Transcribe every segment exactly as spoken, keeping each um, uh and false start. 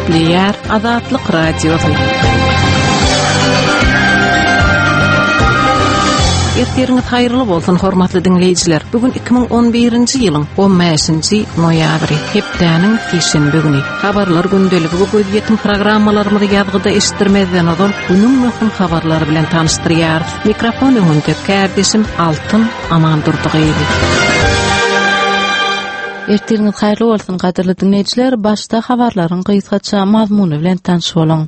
Gepleýär Azatlyk Radiosy. Ertiriňiz haýyrly bolsun, hormatly diňleýjiler. Bu gün iki müň on birinji ýylyň on bäşinji noýabry, hepdäniň sişenbe güni. Habarlar gündeligi we gözýetim programmalarymyzy ýazgyda eşitdirmezden ozal günüň möhüm habarlary bilen tanyşdyrýarys. Mikrofon öňünde kärdeşim Altyn Amandurdygyýewa. Ertiriňiz haýyrly bolsun, gadyrly diňleýjiler. Başda habarlaryň gysgaça mazmuny bilen tanyş boluň.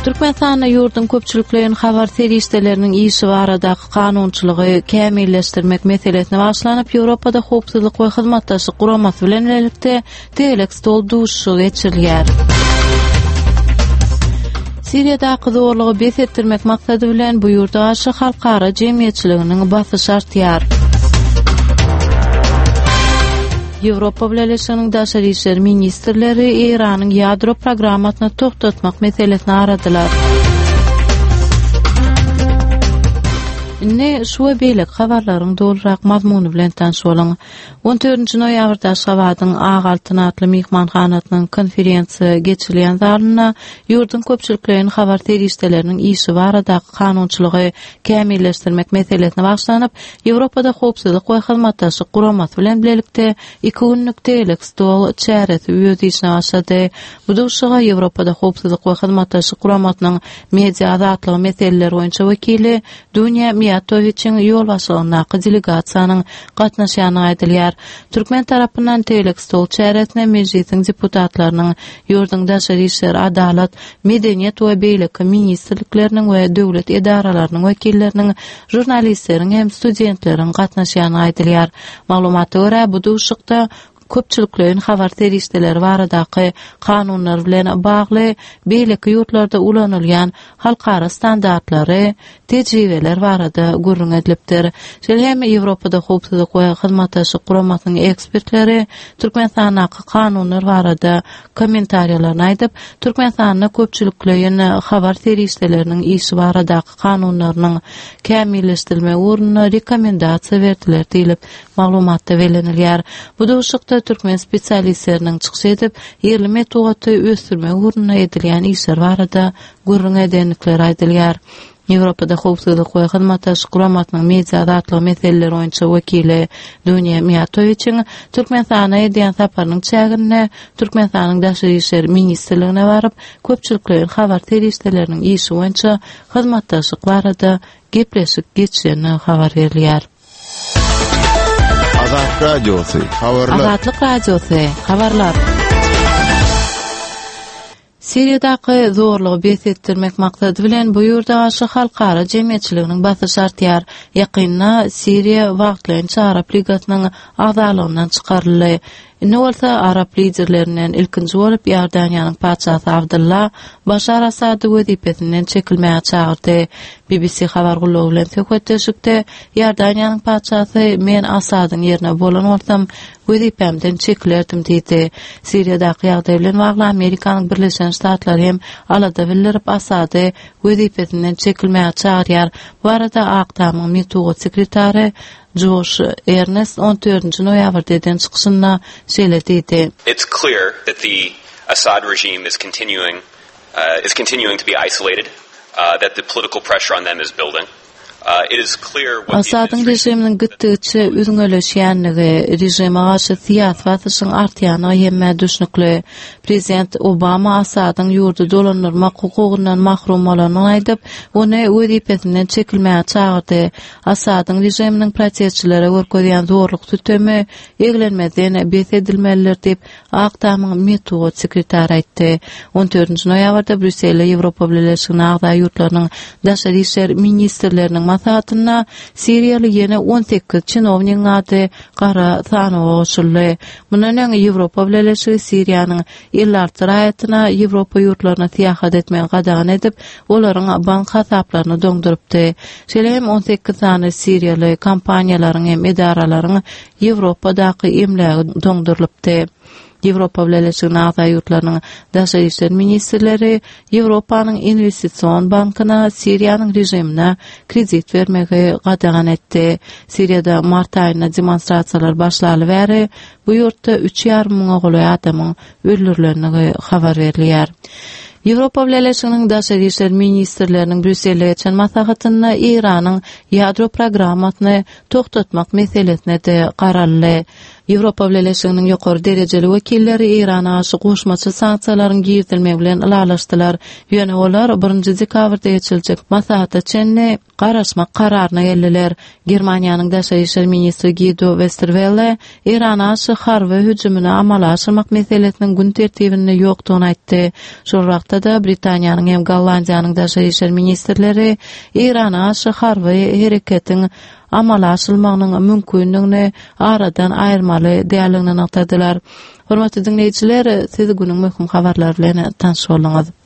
Türkmenistanda ýurduň köpçülikleýin habar serişdeleriniň işi baradaky kanunçylygy kämilleşdirmek meselesine bagyşlanyp, Ýewropada howpsuzlyk we hyzmatdaşlyk guramasy bilen birlikde tegelek stol duşuşygy geçirilýär. Siriýadaky zorlugy bes etdirmek maksady bilen bu ýurda garşy halkara jemgyýetçiliginiň basyşy artýar. Ýewropa Bileleşiginiň daşary işler ministrleri Eýranyň ýadro programmasyny togtatmak meselesini aradylar. Indi şu we beýleki habarlaryň dolurak mazmuny bilen tanyş boluň. On dördünji noýabrda Aşgabadyň Ak Altyn atly myhmanhanasynyň konferensiýa geçirilýän zalynda ýurduň köpçülikleýin habar serişdeleriniň işi baradaky kanunçylygy kämilleşdirmek meselesine bagyşlanyp, Ýewropada howpsuzlyk we hyzmatdaşlyk guramasy bilen bilelikde iki günlük tegelek stol çäresi öz işine başlady. Bu duşuşyga Ýewropada howpsuzlyk we hyzmatdaşlyk guramasynyň media azatlygy meseleleri boýunça wekili Dunýa Miýatowiçiň ýolbaşçylygyndaky delegasiýanyň gatnaşýandygy aýdylýar. Türkmen tarapyndan tegelek stol çäresine mejlisiň deputatlarynyň, ýurduň daşary işler, adalat, medeniýet we beýleki ministrlikleriniň we döwlet edaralarynyň wekilleriniň, žurnalistleriň hem studentleriň gatnaşýandygy aýdylýar. Maglumata görä, bu duşuşykda köpçülikleýin habar serişdeleri baradaky kanunlar bilen bagly beýleki ýurtlarda ulanylýan halkara standartlary, tejribeler barada gürrüň edilipdir. Şeýle hem Ýewropada howpsuzlyk we hyzmatdaşlyk guramasynyň ekspertleri Türkmenistandaky kanunlar barada kommentariýalaryny aýdyp, Türkmenistanda köpçülikleýin habar serişdeleriniň işi baradaky kanunlarynyň kämilleşdirilmegi ugrunda rekomendasiýa berdiler diýlip, maglumatda bellenilýär. Bu duşuşykda türkmen spesialistleriniň çykyş edip, ýerli metbugaty ösdürmek ugrunda edilýän işler barada gürrüň edendikleri aýdylýar. Ýewropada howpsuzlyk we hyzmatdaşlyk guramasynyň media azatlygy meseleleri boýunça wekili Dunýa Miýatowiçiň Türkmenistana edýän saparynyň çäginde Türkmenistanyň Daşary işler ministrligine baryp, köpçülikleýin habar serişdeleriniň işi boýunça hyzmatdaşlyk barada gepleşik geçirenligi habar berilýär. Azat Radiosy, habarlar. Azatlyk Radiosy, habarlar. Siriýadaky zorlugy bes etdirmek maksady bilen bu ýurda garşy halkara jemgyýetçiliginiň basyşy artýar. Ýakynda Siriýa wagtlaýynça Arap Ligasynyň agzalygyndan çykaryldy. Indi bolsa arap liderlerinden ilkinji bolup Iordaniýanyň patyşasy Abdylla Başar Asady wezipesinden çekilmäge çagyrdy. B B C habar gullugy bilen söhbetdeşlikde Iordaniýanyň patyşasy Men Asadyň ýerine bolan bolsam wezipämden çekilerdim diýdi. Siriýadaky ýagdaý bilen bagly Amerikanyň Birleşen Ştatlary hem alada bildirip Asady wezipesinden çekilmäge çagyrýar. Bu arada Ak Tamyň metbugat sekretary Joş Ernest on dördünji noýabrda eden çykyşynda şeýle diýdi. It's clear that the Assad regime is continuing, uh, is continuing to be isolated, uh, that the political pressure on them is building. Uh, it is clear what the Assadyň režiminiň gitdigiçe üzňeleşýänligi, režime garşy syýasy basyşyň artýanlygy hemmä düşnükli. Prezident Obama Assadyň ýurdy dolandyrmak hukugyndan mahrum bolanyny aýdyp, ony wezipesinden çekilmäge çagyrdy. Assadyň režiminiň protestçilere görkezýän zorluk sütemi eglenmezden bes edilmelidir diýip, Ak Tamyň metbugat sekretary aýtdy. On dördünji noýabrda Brýusselde Ýewropa Bileleşigine agza ýurtlarynyň daşary işler ministrleriniň maslahatynda Siriýaly ýene on sekiz çinownigiň ady gara sanawa goşuldy. Mundan öň Ýewropa Bileleşigi Siriýanyň elli alty raýatyna Ýewropa ýurtlaryna syýahat etmegi gadagan edip, olaryň bank hasaplaryny doňdurypdy. Şeýle hem on sekiz sany siriýaly kompaniýalaryň hem edaralaryň Ýewropadaky emlägi doňdurylypdy. Ýewropa Bileleşiginiň agza ýurtlarynyň Daşary işler ministrleri Ýewropanyň Investision bankyna Siriýanyň režimine kredit bermegi gadagan etdi. Siriýada mart aýynda demonstrasiýalar başlaly bäri bu ýurtda üç ýarym müňe golaý adamyň öldürilendigi habar berilýär. Ýewropa Bileleşiginiň Daşary işler ministrleriniň Brýusselde geçen maslahatynda Eýranyň ýadro programmasyny tohtatmak meselesine-de garaldy. Ýewropa Bileleşiginiň ýokary derejeli wekilleri Eýrana garşy goşmaça sanksiýalaryň girizilmegi bilen ylalaşdylar. Ýöne olar birinji dekabrda geçiriljek maslahata çenli garaşmak kararyna geldiler. Germaniýanyň Daşary işler ministri Guido Westerwelle Eýrana garşy harby hüjümini amala aşyrmak meselesiniň gün tertibinde ýokdugyny aýtdy. Şol wagtda-da Britaniýanyň hem Gollandiýanyň Daşary işler ministrleri Eýrana garşy harby hereketiň amala aşyrylmagynyň mümkindigini aradan aýyrmaly däldigini nygtadylar. Hormatly diňleýjiler, siz günüň möhüm habarlary bilen tanyş bolduňyz.